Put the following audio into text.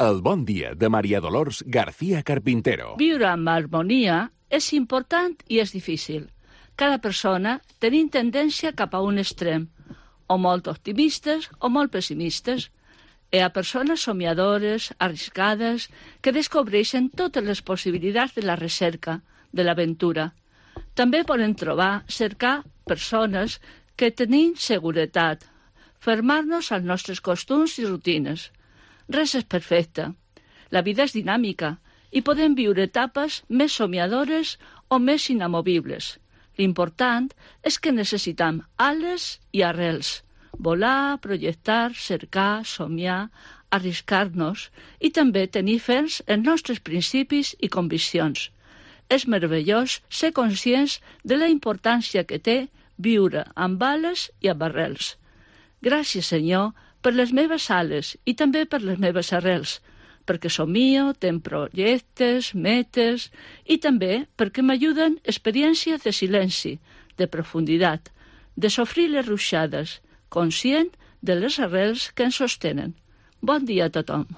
El bon dia de Maria Dolors García Carpintero. Viure amb harmonia és important i és difícil. Cada persona tenim tendència cap a un extrem, o molt optimistes o molt pessimistes. Hi ha persones somiadores, arriscades, que descobreixen totes les possibilitats de la recerca, de l'aventura. També podem cercar persones que tenim seguretat, fermar-nos als nostres costums i rutines. Res és perfecte. La vida és dinàmica i podem viure etapes més somiadores o més inamovibles. L'important és que necessitem ales i arrels. Volar, projectar, cercar, somiar, arriscar-nos i també tenir ferms els nostres principis i conviccions. És meravellós ser conscients de la importància que té viure amb ales i amb arrels. Gràcies, Senyor, per les meves ales i també per les meves arrels, perquè somio, tenc projectes, metes i també perquè m'ajuden experiències de silenci, de profunditat, de sofrir les ruixades, conscient de les arrels que ens sostenen. Bon dia a tothom.